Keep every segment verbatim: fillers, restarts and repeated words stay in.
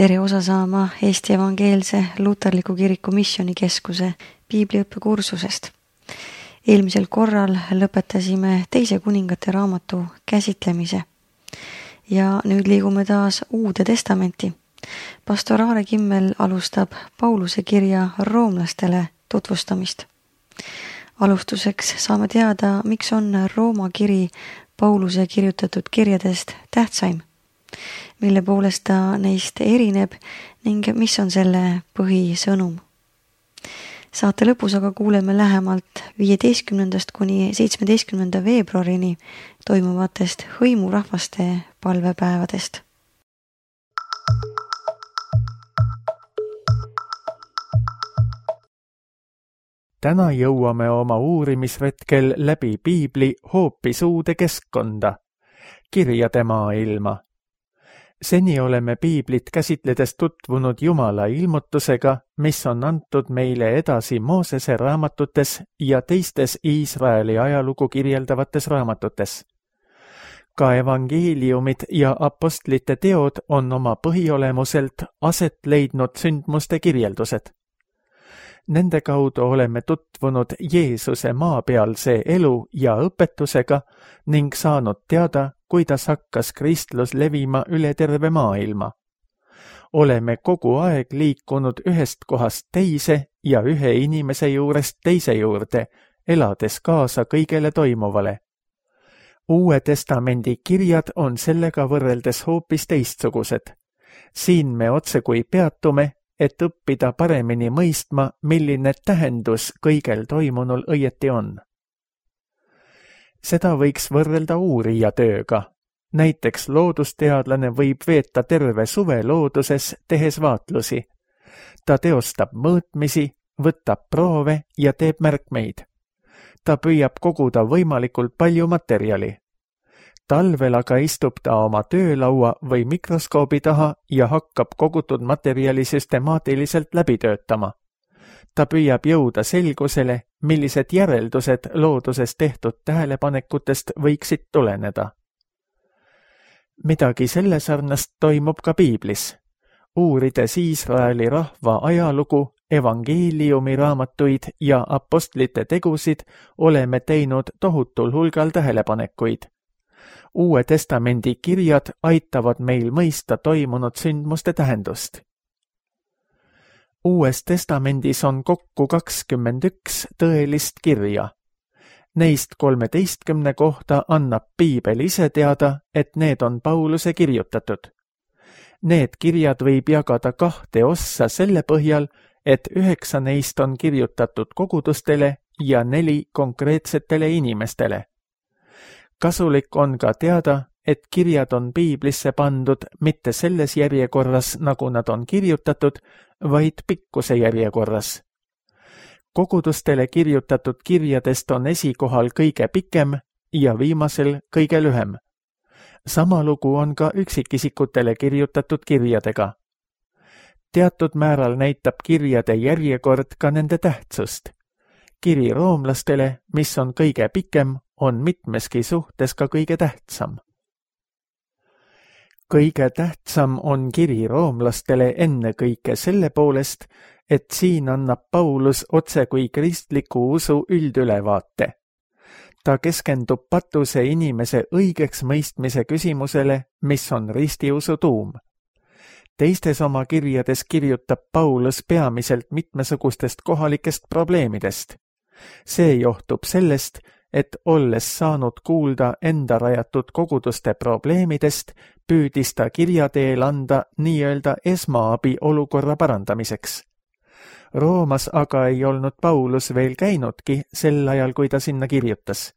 tere osa saama Eesti Evangeelse Luterliku Kiriku Missioonikeskuse piibliõppekursusest. Eelmisel korral lõpetasime teise kuningate raamatu käsitlemise ja nüüd liigume taas Uude Testamenti. Pastor Aare Kimmel alustab Pauluse kirja roomlastele tutvustamist. Alustuseks saame teada, miks on Rooma kiri Pauluse kirjutatud kirjadest tähtsaim, mille poolest ta neist erineb ning mis on selle põhisõnum. Saate lõpus aga kuuleme lähemalt viieteistkümnendast kuni seitsmeteistkümnenda veebruarini toimuvatest hõimurahvaste palvepäevadest. Täna jõuame oma uurimisretkel läbi piibli hoopis uude keskkonda, kirjade maailma. Seni oleme piiblit käsitledes tutvunud Jumala ilmutusega, mis on antud meile edasi Moosese raamatutes ja teistes Iisraeli ajalugu kirjeldavates raamatutes. Ka evangeeliumid ja apostlite teod on oma põhiolemuselt aset leidnud sündmuste kirjeldused. Nende kaudu oleme tutvunud Jeesuse maapealse elu ja õpetusega ning saanud teada, kuidas hakkas kristlus levima üle terve maailma. Oleme kogu aeg liikunud ühest kohast teise ja ühe inimese juurest teise juurde, elades kaasa kõigele toimuvale. Uue Testamendi kirjad on sellega võrreldes hoopis teistsugused. Siin me otsekui peatume, et õppida paremini mõistma, milline tähendus kõigel toimunul õieti on. Seda võiks võrrelda uurija tööga. Näiteks loodusteadlane võib veeta terve suve looduses, tehes vaatlusi. Ta teostab mõõtmisi, võtab proove ja teeb märkmeid. Ta püüab koguda võimalikult palju materjali. Talvel aga istub ta oma töölaua või mikroskoobi taha ja hakkab kogutud materjali süstemaatiliselt läbi töötama. Ta püüab jõuda selgusele, millised järeldused looduses tehtud tähelepanekutest võiksid tuleneda. Midagi selle sarnast toimub ka piiblis. Uurides Iisraeli rahva ajalugu, evangeeliumi raamatuid ja apostlite tegusid, oleme teinud tohutul hulgal tähelepanekuid. Uue Testamendi kirjad aitavad meil mõista toimunud sündmuste tähendust. Uues Testamendis on kokku kakskümmend üks tõelist kirja. Neist kolmeteistkümne kohta annab piibel ise teada, et need on Pauluse kirjutatud. Need kirjad võib jagada kahte ossa selle põhjal, et üheksa neist on kirjutatud kogudustele ja neli konkreetsetele inimestele. Kasulik on ka teada, et kirjad on piiblisse pandud mitte selles järjekorras, nagu nad on kirjutatud, vaid pikkuse järjekorras. Kogudustele kirjutatud kirjadest on esikohal kõige pikem ja viimasel kõige lühem. Sama lugu on ka üksikisikutele kirjutatud kirjadega. Teatud määral näitab kirjade järjekord ka nende tähtsust. Kiri roomlastele, mis on kõige pikem, on mitmeski suhtes ka kõige tähtsam. Kõige tähtsam on kiri roomlastele ennekõike selle poolest, et siin annab Paulus otse kui kristliku usu üldülevaate. Ta keskendub patuse inimese õigeks mõistmise küsimusele, mis on ristiusu tuum. Teistes oma kirjades kirjutab Paulus peamiselt mitmesugustest kohalikest probleemidest. See johtub sellest, et olles saanud kuulda enda rajatud koguduste probleemidest, püüdis ta kirja teel anda nii-öelda esmaabi olukorra parandamiseks. Roomas aga ei olnud Paulus veel käinudki sel ajal, kui ta sinna kirjutas.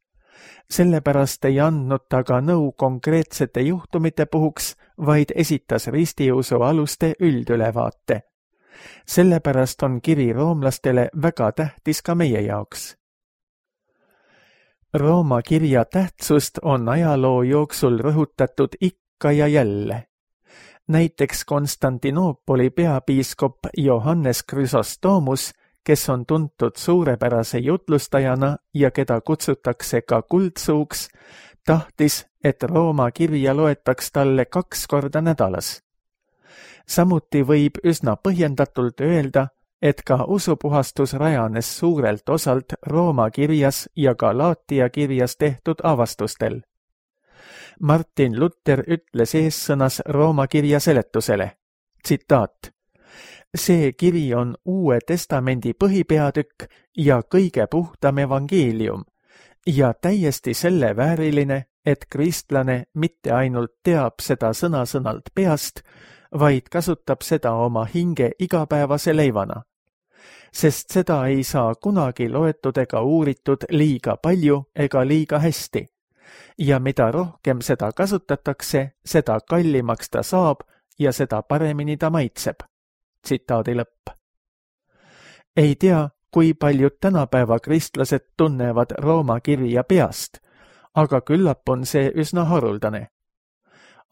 Sellepärast ei andnud ta ka nõu konkreetsete juhtumite puhuks, vaid esitas ristiusu aluste üldülevaate. Sellepärast on kiri roomlastele väga tähtis ka meie jaoks. Rooma kirja tähtsust on ajaloo jooksul rõhutatud ikka ja jälle. Näiteks Konstantinoopoli peapiiskop Johannes Chrysostomus, kes on tuntud suurepärase jutlustajana ja keda kutsutakse ka kuldsuuks, tahtis, et Rooma kirja loetaks talle kaks korda nädalas. Samuti võib üsna põhjendatult öelda, et ka usupuhastus rajanes suurelt osalt Rooma kirjas ja Galaatia kirjas tehtud avastustel. Martin Luther ütles eessõnas Rooma kirja seletusele, tsitaat: see kiri on Uue Testamendi põhipeatükk ja kõige puhtam evangeelium ja täiesti selle vääriline, et kristlane mitte ainult teab seda sõna-sõnalt peast, vaid kasutab seda oma hinge igapäevase leivana. Sest seda ei saa kunagi loetud ega uuritud liiga palju ega liiga hästi. Ja mida rohkem seda kasutatakse, seda kallimaks ta saab ja seda paremini ta maitseb. Tsitaadi lõpp. Ei tea, kui paljud tänapäeva kristlased tunnevad Rooma kirja peast, aga küllap on see üsna haruldane.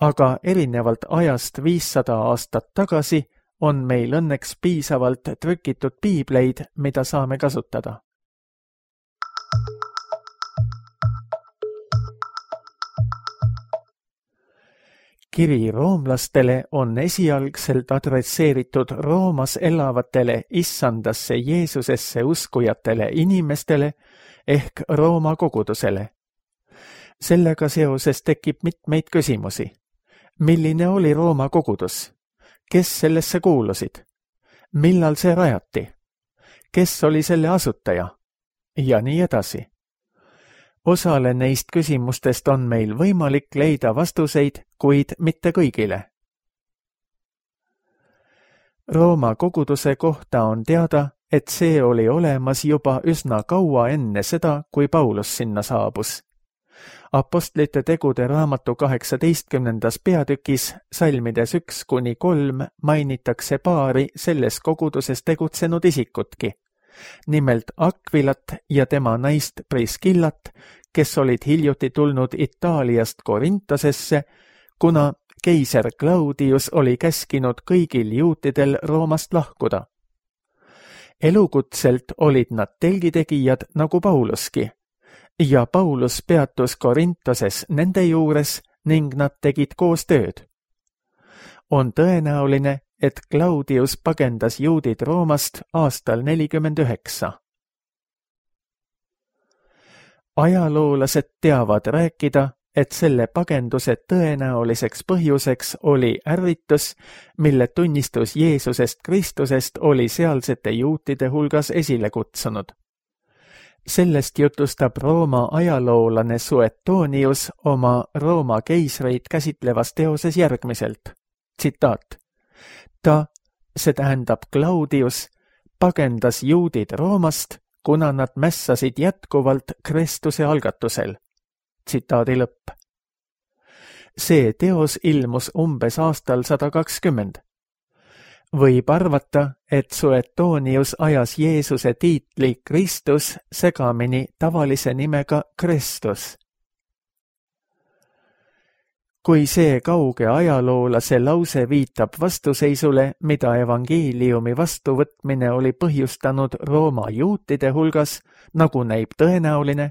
Aga erinevalt ajast viissada aastat tagasi on meil õnneks piisavalt trükitud piibleid, mida saame kasutada. Kiri roomlastele on esialgselt adresseeritud Roomas elavatele issandasse Jeesusesse uskujatele inimestele ehk Rooma kogudusele. Sellega seoses tekib mitmeid küsimusi. Milline oli Rooma kogudus? Kes sellesse kuulusid? Millal see rajati? Kes oli selle asutaja? Ja nii edasi. Osale neist küsimustest on meil võimalik leida vastuseid, kuid mitte kõigile. Rooma koguduse kohta on teada, et see oli olemas juba üsna kaua enne seda, kui Paulus sinna saabus. Apostlite tegude raamatu kaheksateistkümnendas peatükis salmides üks kuni kolm mainitakse paari selles koguduses tegutsenud isikutki. Nimelt Akvilat ja tema naist Priskillat, kes olid hiljuti tulnud Itaaliast Korintosesse, kuna keiser Claudius oli käskinud kõigil juutidel Roomast lahkuda. Elukutselt olid nad telgitegijad nagu Pauluski, ja Paulus peatus Korintoses nende juures ning nad tegid koos tööd. On tõenäoline, et Claudius pagendas juudid Roomast aastal nelikümmend üheksa. Ajaloolased teavad rääkida, et selle pagenduse tõenäoliseks põhjuseks oli ärritus, mille tunnistus Jeesusest Kristusest oli sealsete juutide hulgas esile kutsunud. Sellest jutustab Rooma ajaloolane Suetonius oma Rooma keisreid käsitlevas teoses järgmiselt. Tsitaat. Ta, see tähendab Claudius, pagendas juudid Roomast, kuna nad mässasid jätkuvalt Kristuse algatusel. Tsitaadi lõpp. See teos ilmus umbes aastal sada kakskümmend. Võib arvata, et Suetonius ajas Jeesuse tiitli Kristus segamini tavalise nimega Kristus. Kui see kauge ajaloolase lause viitab vastuseisule, mida evangeeliumi vastuvõtmine oli põhjustanud Rooma juutide hulgas, nagu näib tõenäoline,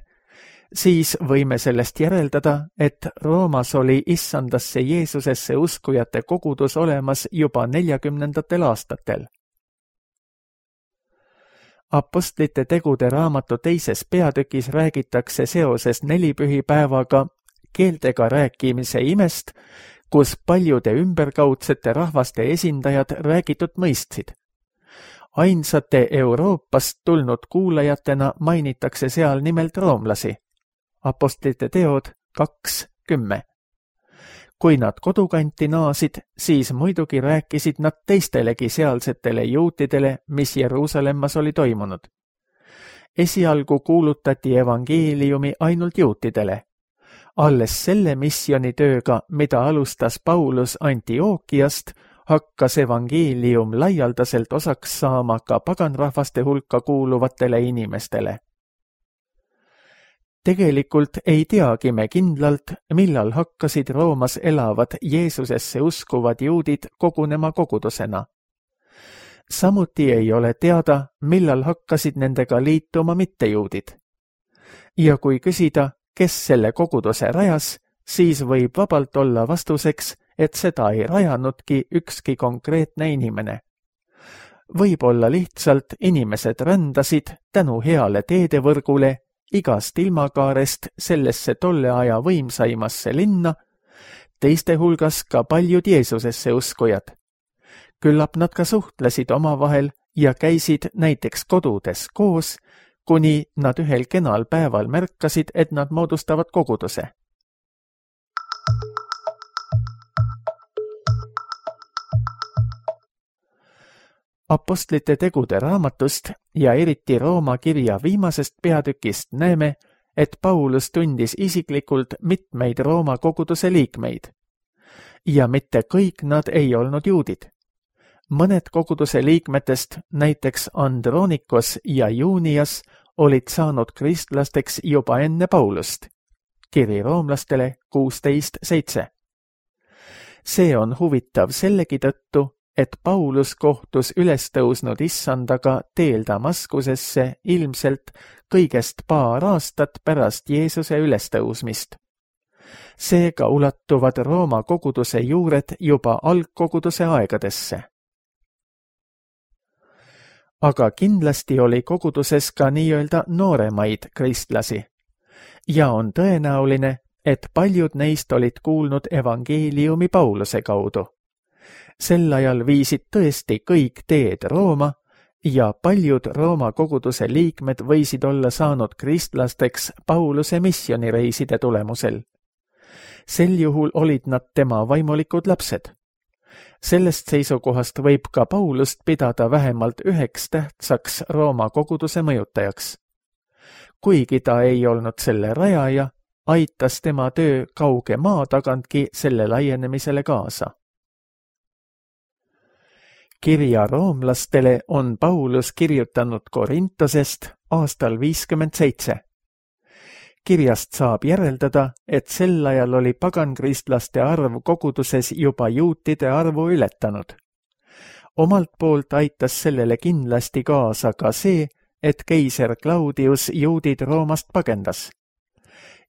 siis võime sellest järeldada, et Roomas oli issandasse Jeesusesse uskujate kogudus olemas juba neljakümnendatel aastatel. Apostlite tegude raamatu teises peatükis räägitakse seoses nelipühipäevaga keeltega rääkimise imest, kus paljude ümberkaudsete rahvaste esindajad räägitud mõistsid. Ainsate Euroopast tulnud kuulajatena mainitakse seal nimelt roomlasi. Apostlite teod kaks kümme. Kui nad kodukanti naasid, siis muidugi rääkisid nad teistelegi sealsetele juutidele, mis Jeruusalemmas oli toimunud. Esialgu kuulutati evangeeliumi ainult juutidele. Alles selle missionitööga, mida alustas Paulus Antiookiast, hakkas evangeelium laialdaselt osaks saama ka paganrahvaste hulka kuuluvatele inimestele. Tegelikult ei teagi me kindlalt, millal hakkasid Roomas elavad Jeesusesse uskuvad juudid kogunema kogudusena. Samuti ei ole teada, millal hakkasid nendega liituma mittejuudid. Ja kui küsida, kes selle koguduse rajas, siis võib vabalt olla vastuseks, et seda ei rajanudki ükski konkreetne inimene. Võib-olla lihtsalt inimesed rändasid tänu heale teedevõrgule igast ilmakaarest sellesse tolle aja võimsaimasse linna, teiste hulgas ka paljud Jeesusesse uskujad. Küllap nad ka suhtlesid omavahel ja käisid näiteks kodudes koos, kuni nad ühel kenal päeval märkasid, et nad moodustavad koguduse. Apostlite tegude raamatust ja eriti Rooma kirja viimasest peatükist näeme, et Paulus tundis isiklikult mitmeid Rooma koguduse liikmeid. Ja mitte kõik nad ei olnud juudid. Mõned koguduse liikmetest, näiteks Andronikos ja Junias, olid saanud kristlasteks juba enne Paulust. Kiri roomlastele kuusteist seitse. See on huvitav sellegi tõttu, et Paulus kohtus ülestõusnud issandaga teel Damaskusesse ilmselt kõigest paar aastat pärast Jeesuse ülestõusmist. Seega ulatuvad Rooma koguduse juured juba algkoguduse aegadesse. Aga kindlasti oli koguduses ka nii-öelda nooremaid kristlasi. Ja on tõenäoline, et paljud neist olid kuulnud evangeeliumi Pauluse kaudu. Sel ajal viisid tõesti kõik teed Rooma ja paljud Rooma koguduse liikmed võisid olla saanud kristlasteks Pauluse missionireiside tulemusel. Sel juhul olid nad tema vaimulikud lapsed. Sellest seisukohast võib ka Paulust pidada vähemalt üheks tähtsaks Rooma koguduse mõjutajaks. Kuigi ta ei olnud selle rajaja, aitas tema töö kauge maa tagantki selle laienemisele kaasa. Kirja roomlastele on Paulus kirjutanud Korintosest aastal viiskümmend seitse. Kirjast saab järeldada, et sel ajal oli pagankristlaste arv koguduses juba juutide arvu ületanud. Omalt poolt aitas sellele kindlasti kaasa ka see, et keiser Claudius juudid Roomast pagendas.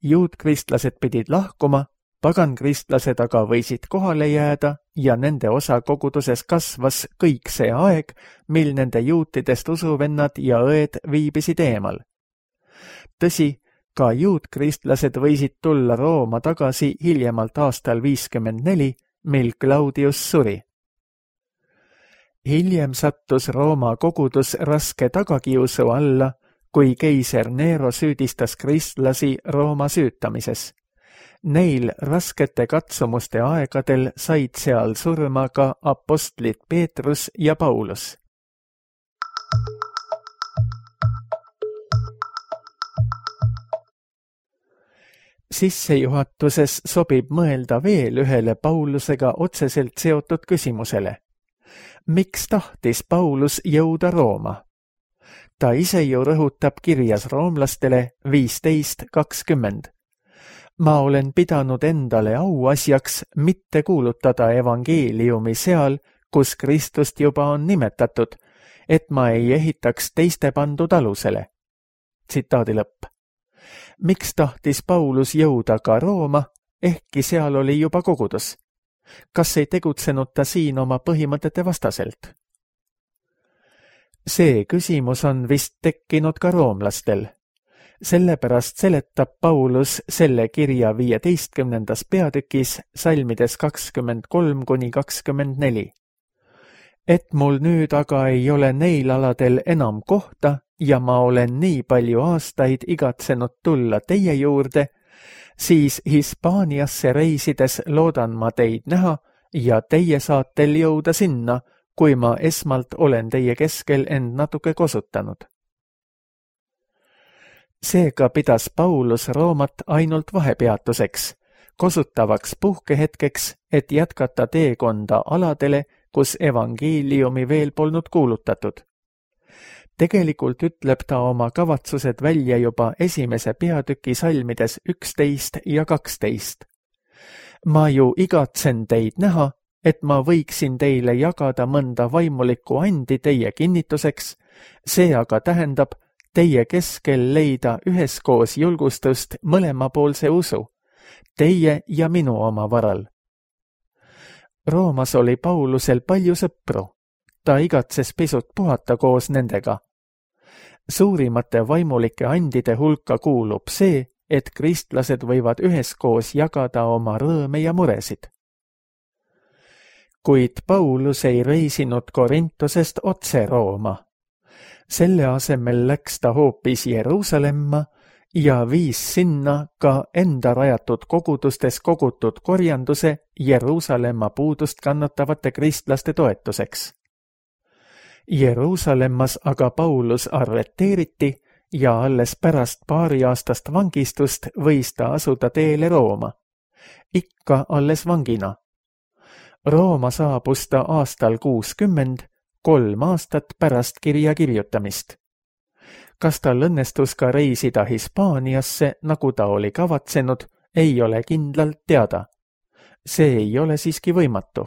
Juutkristlased pidid lahkuma, pagankristlased aga võisid kohale jääda ja nende osa koguduses kasvas kõik see aeg, mil nende juutidest usuvennad ja õed viibisid eemal. Tõsi, ka juutkristlased võisid tulla Rooma tagasi hiljemalt aastal viiskümmend neli, mil Claudius suri. Hiljem sattus Rooma kogudus raske tagakiusu alla, kui keiser Nero süüdistas kristlasi Rooma süütamises. Neil raskete katsumuste aegadel said seal surma ka apostlid Peetrus ja Paulus. Sissejuhatuses sobib mõelda veel ühele Paulusega otseselt seotud küsimusele. Miks tahtis Paulus jõuda Rooma? Ta ise ju rõhutab kirjas roomlastele viisteist kakskümmend. Ma olen pidanud endale auasjaks mitte kuulutada evangeeliumi seal, kus Kristust juba on nimetatud, et ma ei ehitaks teiste pandud alusele. Tsitaadi lõpp. Miks tahtis Paulus jõuda ka Rooma, ehkki seal oli juba kogudus? Kas ei tegutsenud ta siin oma põhimõtete vastaselt? See küsimus on vist tekkinud ka roomlastel. Sellepärast seletab Paulus selle kirja viieteistkümnendas peatükis salmides kakskümmend kolm kuni kakskümmend neli. Et mul nüüd aga ei ole neil aladel enam kohta ja ma olen nii palju aastaid igatsenud tulla teie juurde, siis Hispaaniasse reisides loodan ma teid näha ja teie saatel jõuda sinna, kui ma esmalt olen teie keskel end natuke kosutanud. Seega pidas Paulus Roomat ainult vahepeatuseks, kosutavaks puhkehetkeks, et jätkata teekonda aladele, kus evangeeliumi veel polnud kuulutatud. Tegelikult ütleb ta oma kavatsused välja juba esimese peatüki salmides üksteist ja kaksteist. Ma ju igatsen teid näha, et ma võiksin teile jagada mõnda vaimulikku andi teie kinnituseks, see aga tähendab teie keskel leida üheskoos julgustust mõlemapoolse usu, teie ja minu oma varal. Roomas oli Paulusel palju sõpru. Ta igatses pisut puhata koos nendega. Suurimate vaimulike andide hulka kuulub see, et kristlased võivad üheskoos jagada oma rõõme ja muresid. Kuid Paulus ei reisinud Korintosest otse Rooma. Selle asemel läks ta hoopis Jeruusalemma ja viis sinna ka enda rajatud kogudustes kogutud korjanduse Jeruusalemma puudust kannatavate kristlaste toetuseks. Jeruusalemmas aga Paulus arreteeriti ja alles pärast paari aastast vangistust võis ta asuda teele Rooma. Ikka alles vangina. Rooma saabus ta aastal kuuskümmend, kolm aastat pärast kirja kirjutamist. Kas tal õnnestus ka reisida Hispaaniasse, nagu ta oli kavatsenud, ei ole kindlalt teada. See ei ole siiski võimatu.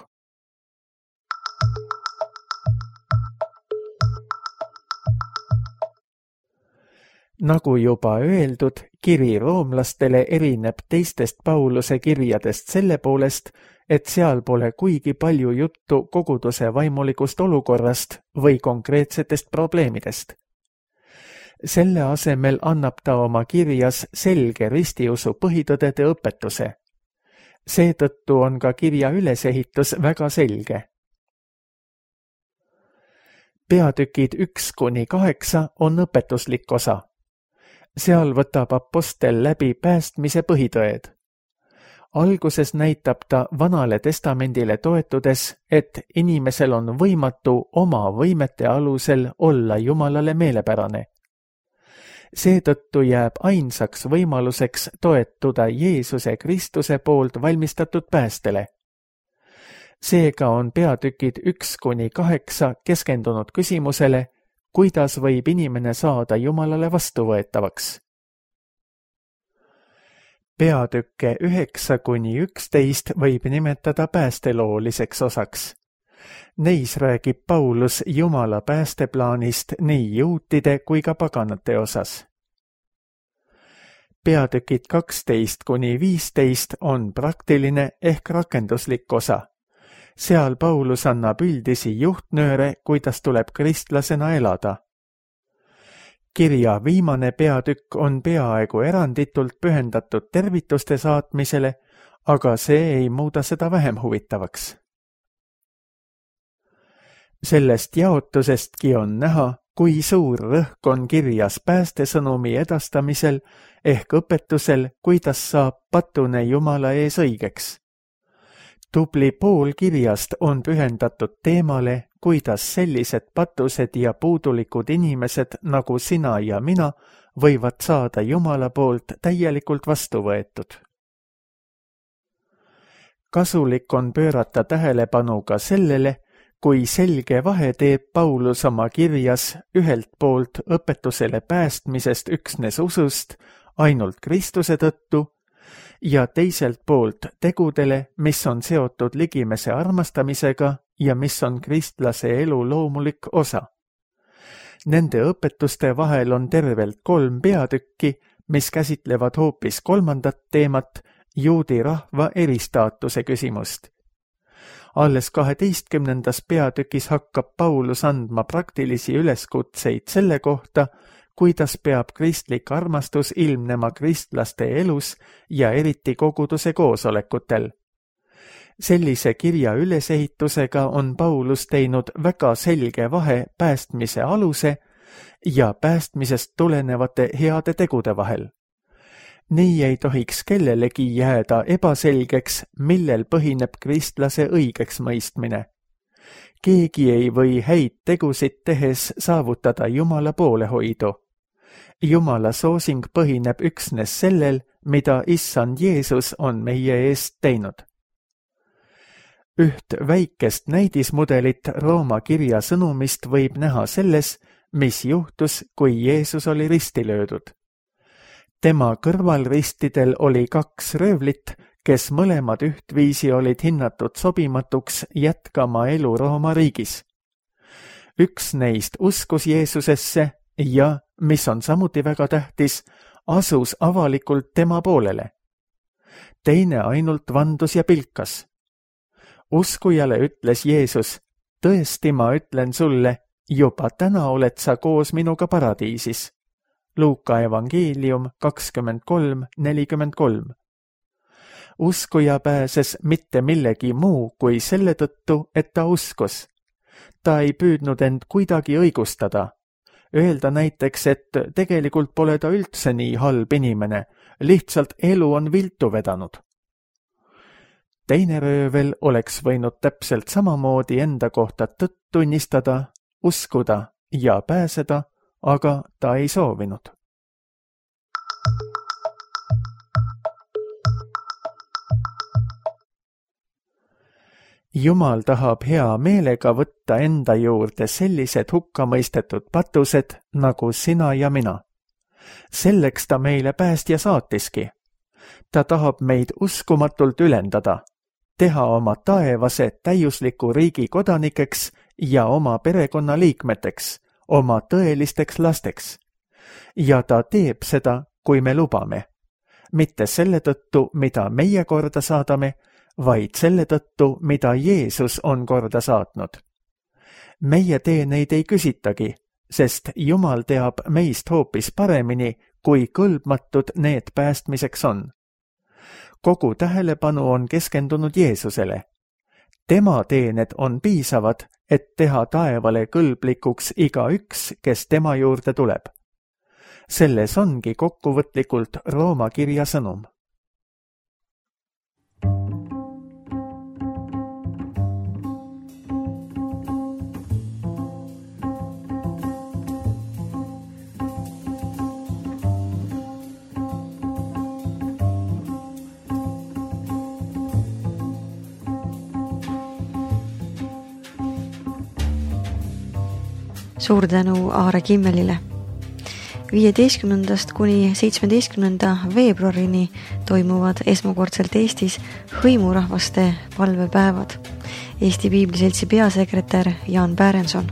Nagu juba öeldud, kiri roomlastele erineb teistest Pauluse kirjadest selle poolest, et seal pole kuigi palju juttu koguduse vaimulikust olukorrast või konkreetsetest probleemidest. Selle asemel annab ta oma kirjas selge ristiusu põhitõdede õpetuse. Seetõttu on ka kirja ülesehitus väga selge. Peatükid üks kuni kaheksa on õpetuslik osa. Seal võtab apostel läbi päästmise põhitõed. Alguses näitab ta Vanale testamendile toetudes, et inimesel on võimatu oma võimete alusel olla Jumalale meelepärane. Seetõttu jääb ainsaks võimaluseks toetuda Jeesuse Kristuse poolt valmistatud päästele. Seega on peatükid üks kuni kaheksa keskendunud küsimusele, kuidas võib inimene saada Jumalale vastuvõetavaks. Peatükke üheksa kuni üksteist võib nimetada päästelooliseks osaks. Neis räägib Paulus Jumala päästeplaanist nii juutide kui ka paganate osas. Peatükid kaksteist kuni viisteist on praktiline ehk rakenduslik osa. Seal Paulus annab üldisi juhtnööre, kuidas tuleb kristlasena elada. Kirja viimane peatükk on peaaegu eranditult pühendatud tervituste saatmisele, aga see ei muuda seda vähem huvitavaks. Sellest jaotusestki on näha, kui suur rõhk on kirjas päästesõnumi edastamisel ehk õpetusel, kuidas saab patune Jumala ees õigeks. Tubli pool kirjast on pühendatud teemale, kuidas sellised patused ja puudulikud inimesed nagu sina ja mina võivad saada Jumala poolt täielikult vastu võetud. Kasulik on pöörata tähelepanu ka sellele, kui selge vahe teeb Paulus oma kirjas ühelt poolt õpetusele päästmisest üksnes usust ainult Kristuse tõttu ja teiselt poolt tegudele, mis on seotud ligimese armastamisega ja mis on kristlase elu loomulik osa. Nende õpetuste vahel on tervelt kolm peatükki, mis käsitlevad hoopis kolmandat teemat, juudi rahva eristaatuse küsimust. Alles kaheteistkümnendas peatükis hakkab Paulus andma praktilisi üleskutseid selle kohta, kuidas peab kristlik armastus ilmnema kristlaste elus ja eriti koguduse koosolekutel. Sellise kirja ülesehitusega on Paulus teinud väga selge vahe päästmise aluse ja päästmisest tulenevate heade tegude vahel. Nii ei tohiks kellelegi jääda ebaselgeks, millel põhineb kristlase õigeks mõistmine. Keegi ei või häid tegusid tehes saavutada Jumala poolehoidu. Jumala soosing põhineb üksnes sellel, mida Issand Jeesus on meie eest teinud. Üht väikest näidismudelit Rooma kirja sõnumist võib näha selles, mis juhtus, kui Jeesus oli risti löödud. Tema kõrvalristidel oli kaks röövlit, kes mõlemad ühtviisi olid hinnatud sobimatuks jätkama elu Rooma riigis. Üks neist uskus Jeesusesse ja, mis on samuti väga tähtis, asus avalikult tema poolele. Teine ainult vandus ja pilkas. Uskujale ütles Jeesus, tõesti ma ütlen sulle, juba täna oled sa koos minuga paradiisis. Luuka evangeelium kakskümmend kolm nelikümmend kolm. Uskuja pääses mitte millegi muu kui selle tõttu, et ta uskus. Ta ei püüdnud end kuidagi õigustada. Öelda näiteks, et tegelikult pole ta üldse nii halb inimene, lihtsalt elu on viltu vedanud. Teine röövel oleks võinud täpselt samamoodi enda kohta tõtt tunnistada, uskuda ja pääseda, aga ta ei soovinud. Jumal tahab hea meelega võtta enda juurde sellised hukkamõistetud patused nagu sina ja mina. Selleks ta meile päästja saatiski. Ta tahab meid uskumatult ülendada, teha oma taevase täiusliku riigi kodanikeks ja oma perekonna liikmeteks, oma tõelisteks lasteks. Ja ta teeb seda, kui me lubame. Mitte selle tõttu, mida meie korda saadame, vaid selle tõttu, mida Jeesus on korda saatnud. Meie teeneid ei küsitagi, sest Jumal teab meist hoopis paremini, kui kõlbmatud need päästmiseks on. Kogu tähelepanu on keskendunud Jeesusele. Tema teened on piisavad, et teha taevale kõlblikuks igaüks, kes tema juurde tuleb. Selles ongi kokkuvõtlikult Rooma kirja sõnum. Suur tänu Aare Kimmelile. viieteistkümnendast kuni seitsmeteistkümnenda veebruarini toimuvad esmakordselt Eestis hõimurahvaste palvepäevad. Eesti Piibliseltsi peasekretär Jaan Pärenson.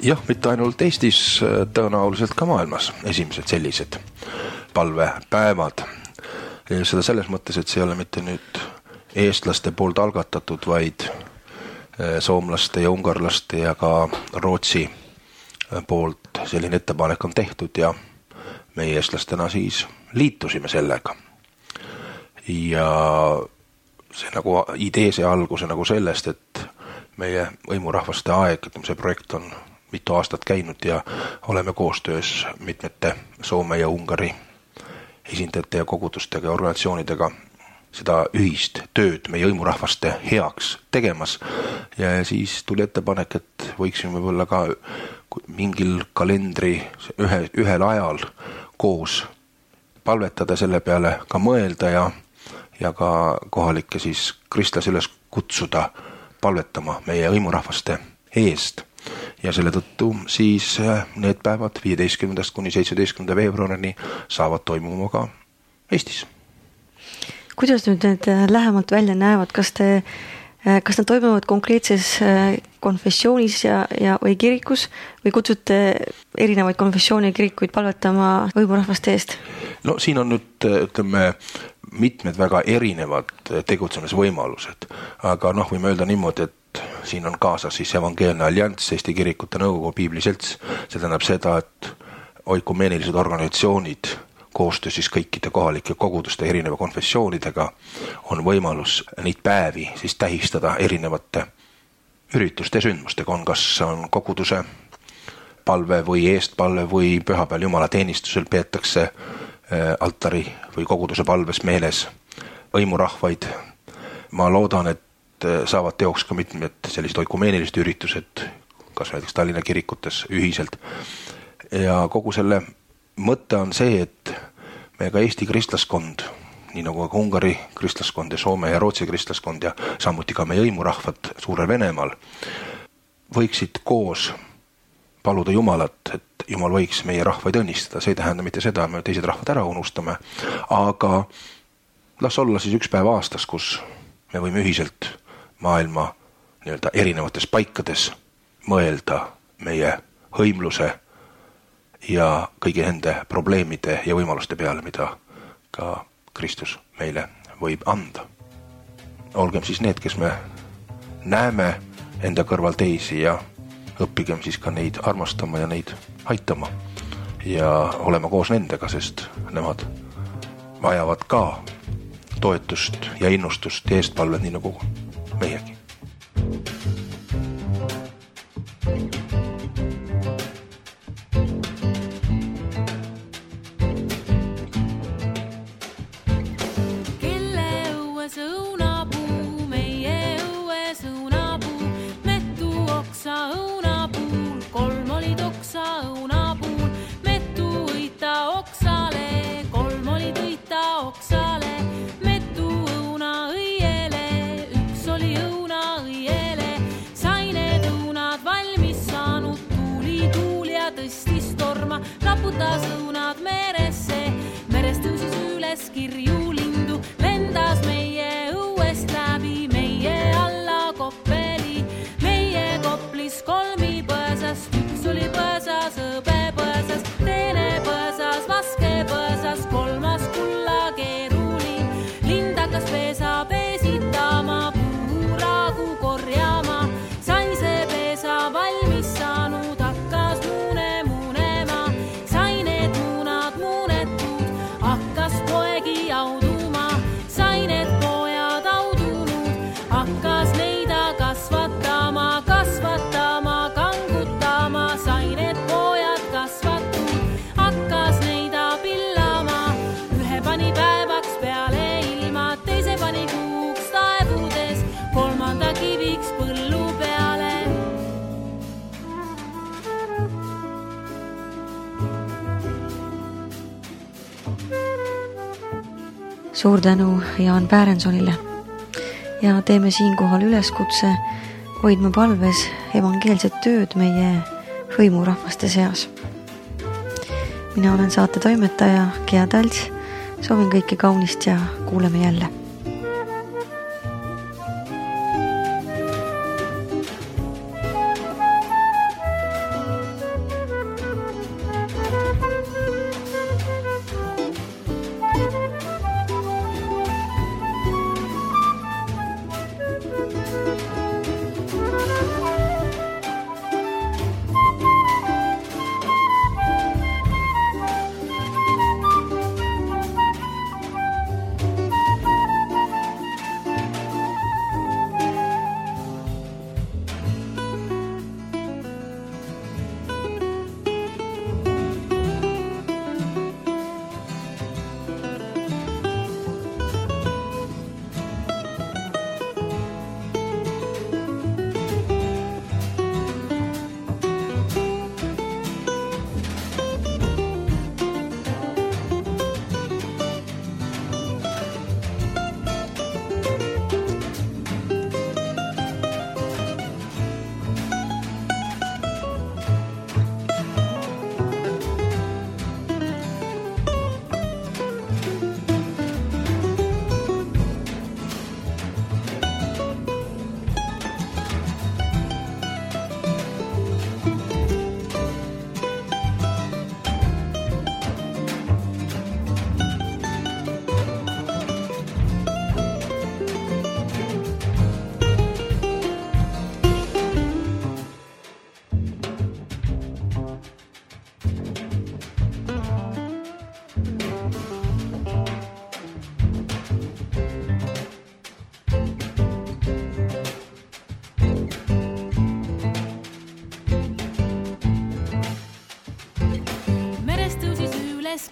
Jah, mitte ainult Eestis, tõenäoliselt ka maailmas esimesed sellised palvepäevad. Ja seda selles mõttes, et see ei ole mitte nüüd eestlaste poolt algatatud, vaid soomlaste ja ungarlaste ja ka Rootsi poolt selline ettepanek on tehtud ja meie eestlastena siis liitusime sellega. Ja see nagu idee see alguse nagu sellest, et meie hõimurahvaste aeg, see projekt on mitu aastat käinud ja oleme koostöös mitmete Soome ja Ungari esindajate ja kogudustega ja organisatsioonidega seda ühist tööd meie hõimurahvaste heaks tegemas ja siis tuli ettepanek, et võiksime võib-olla ka mingil kalendri ühe, ühel ajal koos palvetada selle peale, ka mõelda ja, ja ka kohalikke siis kristlasi üles kutsuda palvetama meie hõimurahvaste eest. Ja selle tõttu siis need päevad viieteistkümnendast kuni seitsmeteistkümnenda veebruarini saavad toimuma ka Eestis. Kuidas nüüd need lähemalt välja näevad? Kas, te, kas nad toimuvad konkreetses konfessioonis ja, ja, või kirikus või kutsute erinevaid konfessiooni kirikuid palvetama hõimurahvaste eest? No siin on nüüd, ütleme, mitmed väga erinevad tegutsemisvõimalused, aga noh, võime öelda niimoodi, et siin on kaasas siis Evangeelne Allianss, Eesti Kirikute Nõukogu, Piibliselts. See tähendab seda, et oikumeenilised organisatsioonid koostöö siis kõikide kohalike koguduste erineva konfessioonidega on võimalus neid päevi siis tähistada erinevate ürituste ja sündmustega. On kas on koguduse palve või eestpalve või pühapäeval Jumala teenistusel peetakse altari või koguduse palves meeles hõimurahvaid. Ma loodan, et saavad teoks ka mitmed sellised oikumeenilised üritused, kas näiteks Tallinna kirikutes ühiselt. Ja kogu selle mõte on see, et meie ka Eesti kristlaskond, nii nagu ka Ungari kristlaskond ja Soome ja Rootsi kristlaskond ja samuti ka meie hõimurahvad Suurel Venemaal, võiksid koos paluda Jumalat, et Jumal võiks meie rahvaid õnnistada. See ei tähenda mitte seda, et me teised rahvad ära unustame, aga las olla siis üks päev aastas, kus me võime ühiselt maailma nii-öelda erinevates paikades mõelda meie hõimluse ja kõigi nende probleemide ja võimaluste peale, mida ka Kristus meile võib anda. Olgem siis need, kes me näeme enda kõrval teisi ja õppigem siis ka neid armastama ja neid aitama ja olema koos nendega, sest nemad vajavad ka toetust ja innustust ja eestpalvet, nii nagu meiegi. Raputas õunad meresse, merest tõusis üles kirju lindu, lendas meie õuest läbi, meie alla Koppeli, meie Koplis kolmi põõsast, üks oli põõsas, õbe põõsas, teine põõsas, vaske põõsas, kolmas kulla keeruli, lind hakkas peesa peesitama, puuragu korjama, sai see peesa valmis saanud, hakkas muune poegi auduma, sai need pojad audunud, hakkas neida kasvatama, kasvatama, kangutama, sai need pojad kasvatud, hakkas neida pillama, ühe pani päevaks peale ilma, teise pani kuuks taevudes, kolmanda kiviks põllu peale. Suur tänu Jaan Päärensonile ja teeme siinkohal üleskutse hoidma palves evangeelset tööd meie hõimurahvaste seas. Mina olen saate toimetaja Gea Talts, soovin kõike kaunist ja kuuleme jälle.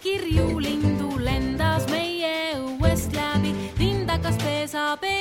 kirju lindu lendas meie õuest läbi, lind hakkas peesa peesa.